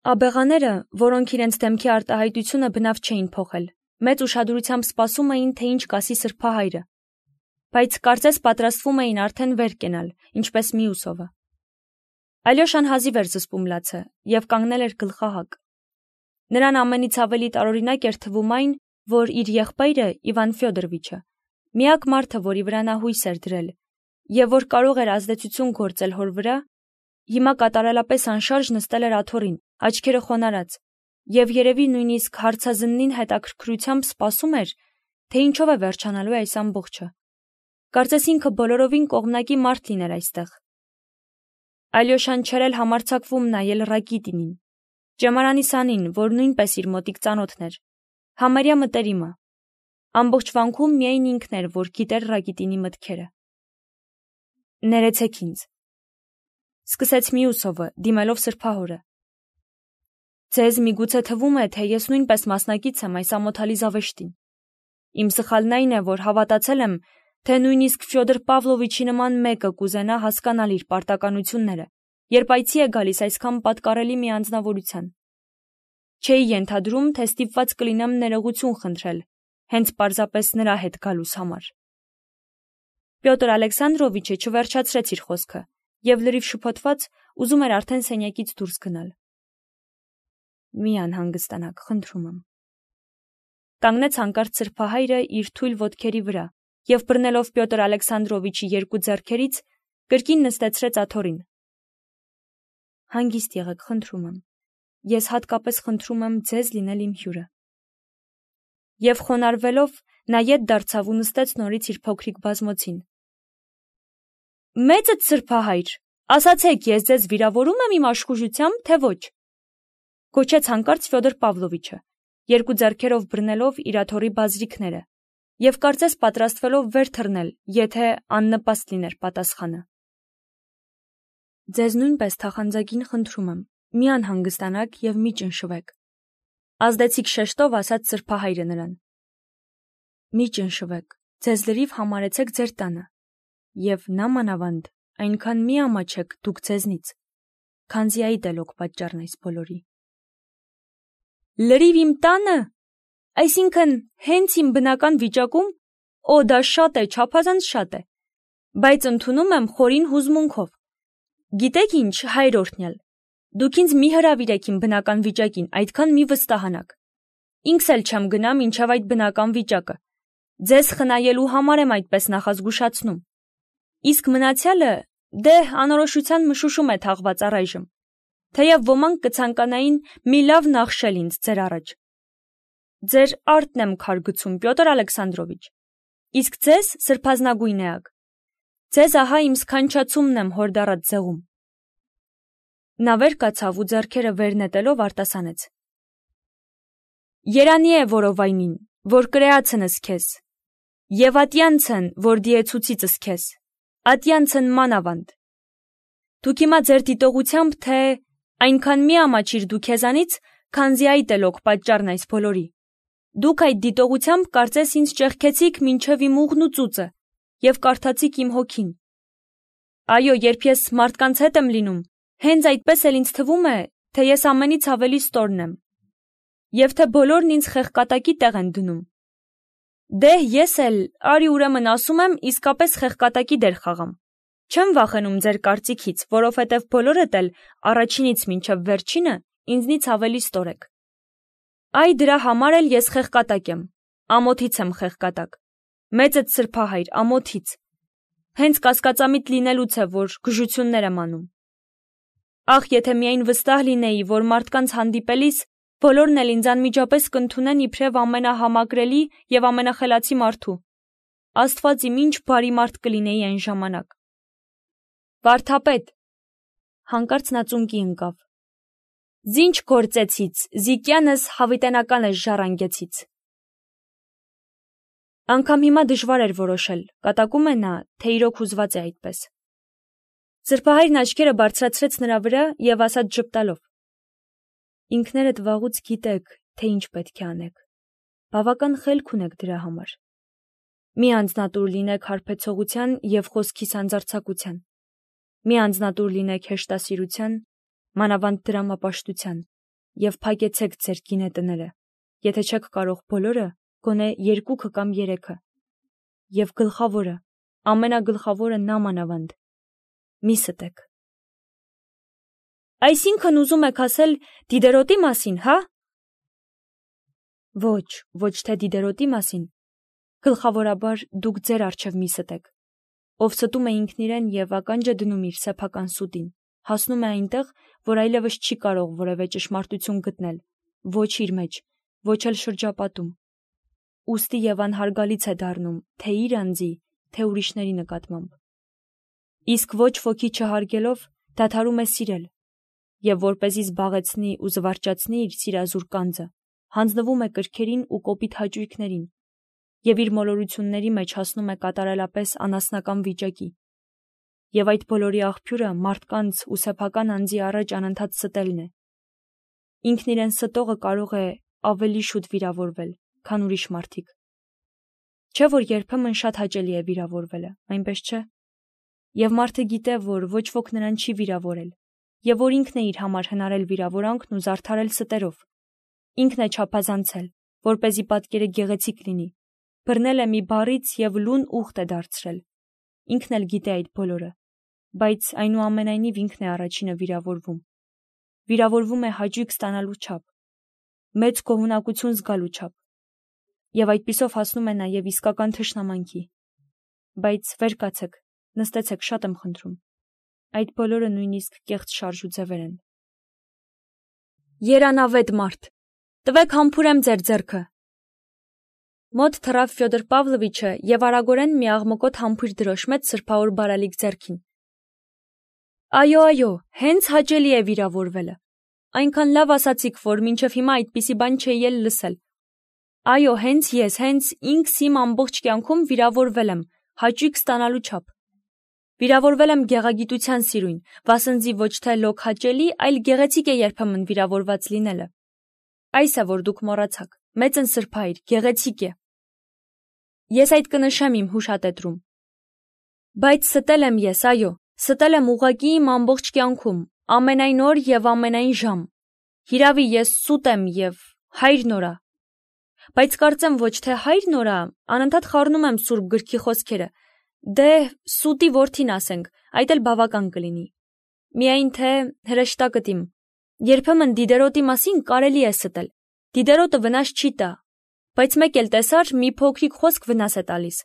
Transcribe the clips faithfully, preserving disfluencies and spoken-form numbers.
Աբեղաները, որոնք իրենց դեմքի արտահայտությունը բնավ չէին փոխել, մեծ ուշադրությամբ սպասում էին, թե ինչ կասի սրբահայրը, բայց կարծես պատրաստվում էին արդեն վեր կենալ, ինչպես մյուսովը։ Ալյոշան հազիվ էր զսպում լացը և կանգնել էր գլխահակ։ Նրան ամենից ավելի տարօրինակ էր թվում այն, որ իր եղբայրը Իվան Ֆյոդորովիչը, միակ մարդը, որի վրա նա հույս էր դրել, և որ կարող էր ազդեցություն գործել հոր վրա, հիմա կատարելապես անշարժ նստել էր աթոռին, աչքերը խոնարհած, և երևի նույնիսկ հարցազննին հետաքրքրությամբ սպասում էր, թե ինչով է վերջանալու այս ամբողջը։ Կարծես ինքը բոլորովին կողմնակի մարդ լիներ այստեղ։ Ալյոշան չէր էլ համարձակվում նայել Ռակիտինին, ճեմարանի սանին, որ նույնպես իր մոտիկ ծանոթն էր, համարյա մտերիմը։ Ամբողջ վանքում միայն ինքն էր, որ գիտեր Ռակիտինի մտքերը։ Ներեցեք ինձ, սկսեց Մյուսովը, դիմելով սրբահորը։ Ձեզ միգուցե թվում է, թե ես նույնպես մասնակից եմ այս ամոթալի զավեշտին։ Իմ սխալն այն է, որ հավատացել եմ, թե նույնիսկ Ֆյոդոր Պավլովիչի նման մեկը կուզենա հասկանալ իր պարտականությունները, երբ այցի է գալիս այսքան պատկառելի մի անձնավորության։ Չէի ենթադրում, թե ստիպված կլինեմ ներողություն խնդրել, հենց պարզապես նրա հետ գալուս համար։ Պյոտր Ալեքսանդրովիչը չվերջացրեց իր խոսքը և լրիվ շփոթված ուզում էր արդեն սենյակից դուրս գնալ։ Մի անհանգստանաք, խնդրում եմ։ Կանգնեց հանկարծ սրբահայրը իր թույլ ոտքերի վրա և բռնելով Պյոտր Ալեքսանդրովիչի երկու ձեռքերից, կրկին նստեցրեց աթոռին։ Հանգիստ եղեք, խնդրում եմ։ Ես հատկապես խնդրում եմ ձեզ լինել իմ հյուրը։ Եվ խոնարհվելով նա ետ դարձավ ու նստեց նորից իր փոքրիկ բազմոցին։ Մեծդ սրբահայր, ասացեք, ես ձեզ վիրավորում եմ իմ աշխուժությամբ, թե ոչ, գոչեց հանկարծ Ֆյոդոր Պավլովիչը, երկու ձեռքերով բռնելով իր աթոռի բազրիքները և կարծես պատրաստվելով վեր թռնել, եթե աննպաստ լիներ պատասխանը։ Ձեզ նույնպես թախանձագին խնդրում եմ, մի անհանգստանաք և մի ճնշվեք, ազդեցիկ շեշտով ասաց սրբահայրը նրան։ Մի ճնշվեք, ձեզ լրիվ համարեցեք ձեր տանը, և նամանավանդ այնքան մի ամաչեք դուք ձեզնից, քանզի այդ էլ օք պատճառն այս բոլորի։ Լրիվ իմ տանը, այսինքն հենց իմ բնական վիճակում, օ դա շատ է, չափազանց շատ է, բայց ընդունում եմ խորին հուզմունքով։ Գիտեք ինչ, հայր օրհնյալ, դուք ինձ մի հրավիրեք իմ բնական վիճակին, այդքան մի վստահանաք։ Ինքս էլ չեմ գնա մինչև այդ բնական վիճակը։ Ձեզ խնայելու համար եմ այդպես նախազգուշացնում։ Իսկ մնացյալը, դե, անորոշության մշուշում է թաղված առայժմ, թեև ոմանք կցանկանային մի լավ նախշել ինձ ձեր առաջ։ Ձեր արտն եմ քար գցում, Պյոտր Ալեքսանդրովիչ, իսկ ձեզ սրբազնագույն էակ։ Ձեզ ահա իմ սքանչացումն եմ հորդառած ձեղում։ Նա վեր կացավ ու ձեռքերը վեր նետելով արտասանեց. Երանի է որովայնին, որ կրեացնս քեզ, և ատյանցն, որ դիեցուցիցս քեզ, ատյանցն մանավանդ։ Դուք հիմա ձեր դիտողությամբ, թե այնքան մի ամաչիր դու քեզանից, քանզի այդ էլ օք պատճառն այս բոլորի։ Դուք այդ դիտողությամբ կարծես ինձ ճեղքեցիք մինչև իմ ուղն ու ծուծը և կարդացիք իմ հոգին։ Այո, երբ ես մարդկանց հետ եմ լինում, հենց այդպես էլ ինձ թվում է, թե ես ամենից ավելի ստորն եմ, և թե բոլորն ինձ խեղկատակի տեղ են դնում։ Դե, ես էլ, արի ուրեմն ասում եմ, իսկապես խեղկատակի դեր խաղամ։ Չեմ վախենում ձեր կարծիքից, որովհետև բոլորդ էլ առաջինից մինչև վերջինը ինձնից ավելի ստոր եք։ Այ դրա համար էլ ես խեղկատակ եմ, ամոթից եմ խեղկատակ, մեծդ սրբահայր, ամոթից, հենց կասկածամիտ լինելուց է, որ գժություններ եմ անում։ Ախ, եթե միայն վստահ լինեի, որ մարդկանց հանդիպելիս բոլորն էլ ինձ անմիջապես կընդունեն իբրև ամենահամակրելի և ամենախելացի մարդու։ Աստված իմ ինչ բարի մարդ կլինեի այն ժամանակ։ Վարդապետ, հանկարծ նա ծունկի ընկավ։ Զինչ գործեցից, զիկյանս հավիտենականս ժառանգեցից։ Անգամ հիմա դժվար էր որոշել, կատակում է նա, թե իրոք հուզված է այդպես։ Սրբահայրն աչքերը բարձրացրեց նրա վրա և ասաց ժպտալով. Ինքներդ վաղուց գիտեք, թե ինչ պետք է անեք։ Բավական խելք ունեք դրա համար։ Մի անձնատուր լինեք հարբեցողության և խոսքի սանձարձակության։ Մի անձնատուր լինեք հեշտասիրության, մանավանդ դրամապաշտության, և փակեցեք ձեր գինետները, եթե չեք կարող բոլորը, գոնե երկուքը կամ երեքը, և գլխավորը, ամենագլխավորը նամանավանդ, մի ստեք։ Այսինքն ուզում եք ասել Դիդերոտի մասին, հա։ Ոչ, ոչ թե Դիդերոտի մասին, գլխավորաբար դուք ձեր առջև մի ստեք, ով ստում է ինքն իրեն և ականջ է դնում իր սեփական սուտին, հասնում է այնտեղ, որ այլևս չի կարող որևէ ճշմարտություն գտնել, ոչ իր մեջ, ոչ էլ շրջապատում, ուստի և անհարգալից է դառնում, թե իր անձի, թե ուրիշների նկատմամբ։ Իսկ ոչ ոքի չհարգելով դադարում է սիրել, և որպեսզի զբաղեցնի ու զվարճացնի իր սիրազուր կանձը, հանձնվում է կրքերին ու կոպիտ հաճույքներին, և իր մոլորությունների մեջ հասնում է կատարելապես անասնական վիճակի, և այդ բոլորի աղբյուրը մարդկանց ու սեփական անձի առաջ անընդհատ ստելն է։ Ինքն իրեն ստողը կարող է ավելի շուտ վիրավորվել, քան ուրիշ մարդիկ։ Չէ՞ որ երբեմն շատ հաճելի է վիրավորվելը, այնպես չէ։ Եվ մարդը գիտե, որ ոչ ոք նրան չի վիրավորել, և որ ինքն է իր համար հնարել վիրավորանքն ու զարդարել ստերով։ Ինքն է չափազանցել, որպեսզի պատկերը գեղեցիկ լինի, բռնել է մի բառից և լուն ուղտ է դարձրել։ Ինքն էլ գիտե այդ բոլորը, բայց այնուամենայնիվ ինքն է առաջինը վիրավորվում։ Վիրավորվում է հաճույք ստանալու չափ, մեծ գոհունակություն զգալու չափ, և այդպիսով հասնում է նաև իսկական թշնամանքի։ Բայց վեր կացեք, նստեցեք, շատ եմ խնդրում։ Այդ բոլորը նույնիսկ կեղծ շարժու ձևեր են։ Երանավետ մարդ, տվեք համբուրեմ ձեր ձեռքը։ Մոտ թռավ Ֆյոդոր Պավլովիչը և արագորեն մի աղմկոտ համբույր դրոշմեց սրբավոր բարալիկ ձեռքին։ Այո, այո, հենց հաճելի է վիրավորվելը։ Այնքան լավ ասացիք, որ մինչև հիմա այդպիսի բան չէի էլ լսել։ Այո, հենց ես, հենց ինքս իմ ամբողջ կյանքում վիրավորվել եմ, հաճույք ստանալու չափ։ Վիրավորվել եմ գեղագիտության սիրույն, վասնզի ոչ թե լոկ հաճելի, այլ գեղեցիկ է երբեմն վիրավորված լինելը։ Այս է, որ դուք մոռացաք, մեծն սրբայր, գեղեցիկ է։ Ես այդ կնշեմ իմ հուշատետրում։ Բայց ստել եմ ես, այո, ստել եմ ուղղակի իմ ամբողջ կյանքում, ամենայն օր և ամենայն ժամ։ Հիրավի, ես սուտ եմ և հայր նորա։ Բայց կարծեմ ոչ թե հայր նորա, անընդհատ խառնում եմ Սուրբ գրքի խոսքերը։ Դե, սուտի որդին ասենք, այդ էլ բավական կլինի։ Միայն թե հրեշտակդ իմ, երբեմն Դիդերոտի մասին կարելի է ստել։ Դիդերոտը վնաս չի տա, բայց մեկ էլ տեսար, մի փոքրիկ խոսք վնաս է տալիս։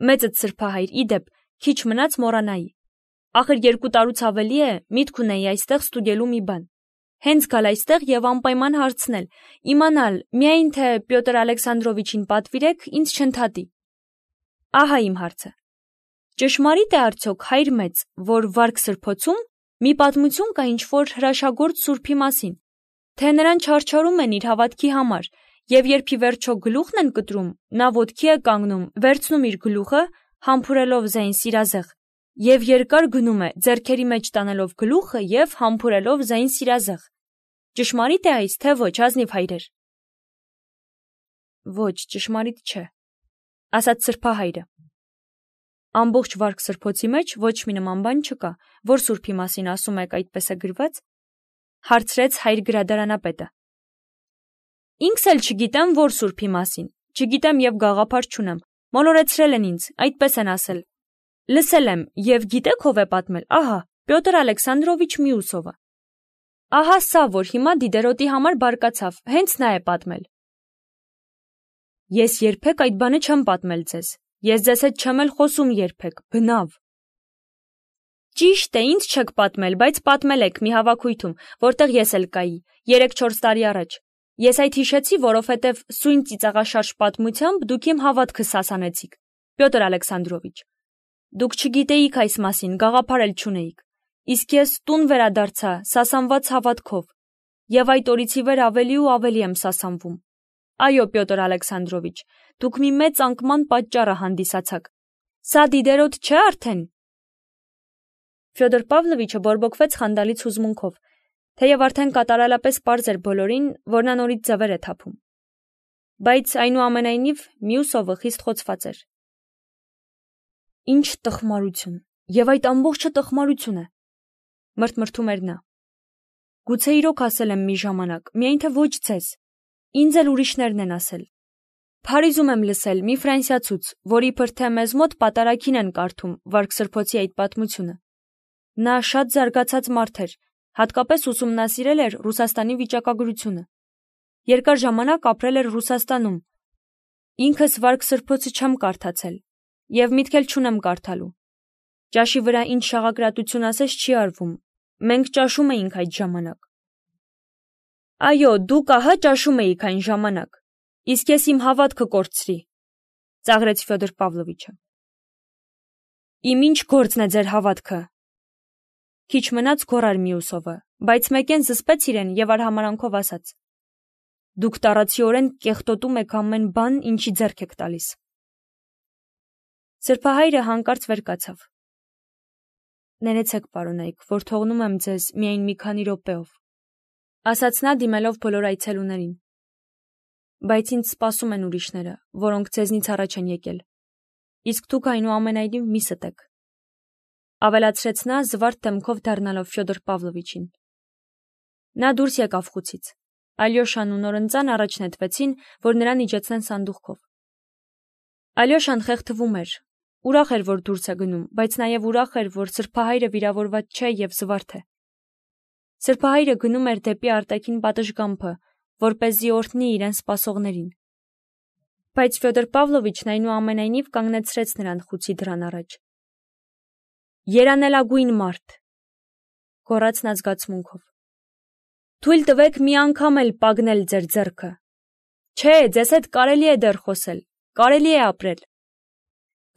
Մեծդ սրբահայր, իդեպ, քիչ մնաց մոռանայի։ Ախր երկու տարուց ավելի է, միտք ունեի այստեղ ստուգելու մի բան։ Հենց գալ այստեղ և անպայման հարցնել, իմանալ, միայն թե Պյոտր Ալեքսանդրովիչին պատվիրեք, ինձ չընդհատի։ Ահա իմ հարցը. ճշմարիտ է արդյոք, հայր մեծ, որ Վարք սրբոցում մի պատմություն կա ինչ-որ հրաշագործ սուրբի մասին, թե նրան չարչարում են իր հավատքի համար, և երբ ի վերջո գլուխն են կտրում, նա ոտքի է կանգնում, վերցնում իր գլուխը, համբուրելով ձայն սիրազեղ, և երկար գնում է, ձեռքերի մեջ տանելով գլուխը և համբուրելով ձայն սիրազեղ։ Ճշմարիտ է այս, թե ոչ, ազնիվ հայրեր։ Ոչ, ճշմարիտ չէ, ասաց սրբահայրը։ Ամբողջ Վարք սրբոցի մեջ ոչ մի նման բան չկա, որ սուրբի մասին ասում եք, այդպես է գրված, հարցրեց հայր գրադարանապետը։ Ինքս էլ չգիտեմ, որ սուրբի մասին, չգիտեմ և գաղափար չունեմ, մոլորեցրել են ինձ, այդպես են ասել։ Լսել եմ, և գիտեք ով է պատմել, ահա, Պյոտր Ալեքսանդրովիչ Միուսովը։ Ահա սա, որ հիմա Դիդերոտի համար բարկացավ, հենց նա է պատմել։ Ես երբեք այդ բանը չեմ պատմել ձեզ, ես ձեզ հետ չեմ էլ խոսում երբեք, բնավ։ Ճիշտ է, ինձ չեք պատմել, բայց պատմել եք մի հավաքույթում, որտեղ ես էլ կայի, երեք-չորս տարի առաջ։ Ես այդ հիշեցի, որովհետև սույն ծիծաղաշարժ պատմությամբ դուք իմ հավատքը սասանեցիք, Պյոտր Ալեքսանդրովիչ։ Դուք չգիտեիք այս մասին, գաղափար էլ չունեիք։ Իսկ ես տուն վերադարձա սասանված հավատքով, և այդ օրից ի վեր ավելի ու ավելի եմ սասանվում։ Այո, Պյոտր Ալեքսանդրովիչ, դուք մի մեծ անկման պատճառը հանդիսացաք։ Սա Դիդերոտ չէ արդեն։ Ֆյոդոր Պավլովիչը բորբոքվեց խանդալից հուզմունքով, թեև արդեն կատարելապես պարզ էր բոլորին, որ նա նորից ձևեր է թափում։ Բայց այնուամենայնիվ Միուսովը խիստ խոցված էր։ Ինչ տխմարություն, և այդ ամբողջը տխմարություն է, մրթմրթում էր նա։ Գուցե իրոք ասել եմ մի ժամանակ, միայն թե ոչ ձեզ, ինձ էլ ուրիշներն են ասել։ Փարիզում եմ լսել մի ֆրանսիացուց, որ իբր թե մեզ մոտ պատարագին են կարդում Վարք Սրբոցի այդ պատմությունը։ Նա շատ զարգացած մարդ էր, հատկապես ուսումնասիրել էր Ռուսաստանի վիճակագրությունը։ Երկար ժամանակ ապրել էր Ռուսաստանում։ Ինքս Վարք Սրբոցը չեմ կարդացել եւ միտք էլ չունեմ կարդալու։ Ճաշի վրա ինչ շաղակրատություն ասես չի արվում։ Մենք ճաշում էինք այդ ժամանակ։ Այո, դուք ահա ճաշում էիք այն ժամանակ։ Իսկ ես իմ հավատքը կորցրի, ծաղրեց Ֆյոդոր Պավլովիչը։ Իմ ինչ գործն է ձեր հավատքը։ Քիչ մնաց գոռար Մյուսովը, բայց մեկեն զսպեց իրեն եւ արհամարանքով ասաց. Դուք տարածիորեն կեղտոտում եք ամեն բան, ինչի ձեռք եք տալիս։ Սրբահայրը հանկարծ վեր կացավ։ Ներեցեք, պարոնայք, որ թողնում եմ ձեզ միայն մի քանի րոպեով, ասաց նա դիմելով բոլոր այցելուներին։ Բայց ինձ սպասում են ուրիշները, որոնք ձեզնից առաջ են եկել։ Իսկ դուք այնուամենայնիվ մի ստեք։ Ավելացրեց նա զվարթ դեմքով դառնալով Ֆյոդոր Պավլովիչին։ Նա դուրս եկավ խուցից։ Ալյոշան ու Նորընծան առաջ նետվեցին, որ նրան իջեցնեն սանդուղքով։ Ալյոշան խեղդվում էր, ուրախ էր, որ դուրս է գնում, բայց նաև ուրախ էր, որ սրբահայրը վիրավորված չէ եւ զվարթ է։ Սրբահայրը գնում էր դեպի արտաքին պատշգամբը, որպեսզի օրհնի իրեն սպասողներին։ Բայց Ֆյոդոր Պավլովիչն այնուամենայնիվ կանգնեցրեց նրան խուցի դռան առաջ։ Երանելագույն մարդ, գոռաց նա զգացմունքով։ Թույլ տվեք մի անգամ էլ պագնել ձեր ձեռքը։ Չէ, ձեզ հետ կարելի է դեռ խոսել, կարելի է ապրել։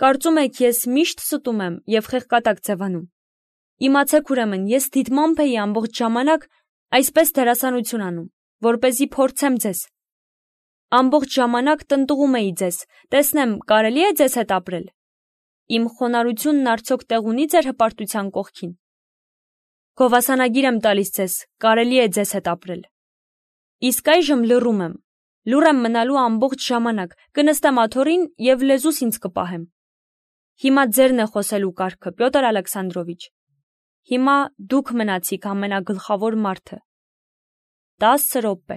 Կարծում եք, ես միշտ ստում եմ եւ խեղկատակ ձևանում։ Իմացեք ուրեմն, ես դիտմամբ էի ամբողջ ժամանակ այսպես դերասանություն անում, որպեսզի փորձեմ ձեզ։ Ամբողջ ժամանակ տնտղում էի ձեզ, տեսնեմ, կարելի է ձեզ հետ ապրել։ Իմ խոնարհությունն արդյոք տեղ ունի ձեր հպարտության կողքին։ Գովասանագիր եմ տալիս ձեզ, կարելի է ձեզ հետ ապրել։ Իսկ այժմ լռում եմ, լուռ եմ մնալու ամբողջ ժամանակ, կնստեմ աթոռին եւ լեզուս ինձ կպահեմ։ Հիմա ձերն է խոսելու կարգը, Պյոտր Ալեքսանդրովիչ։ Հիմա դուք մնացիք ամենագլխավոր մարդը։ տասը րոպե։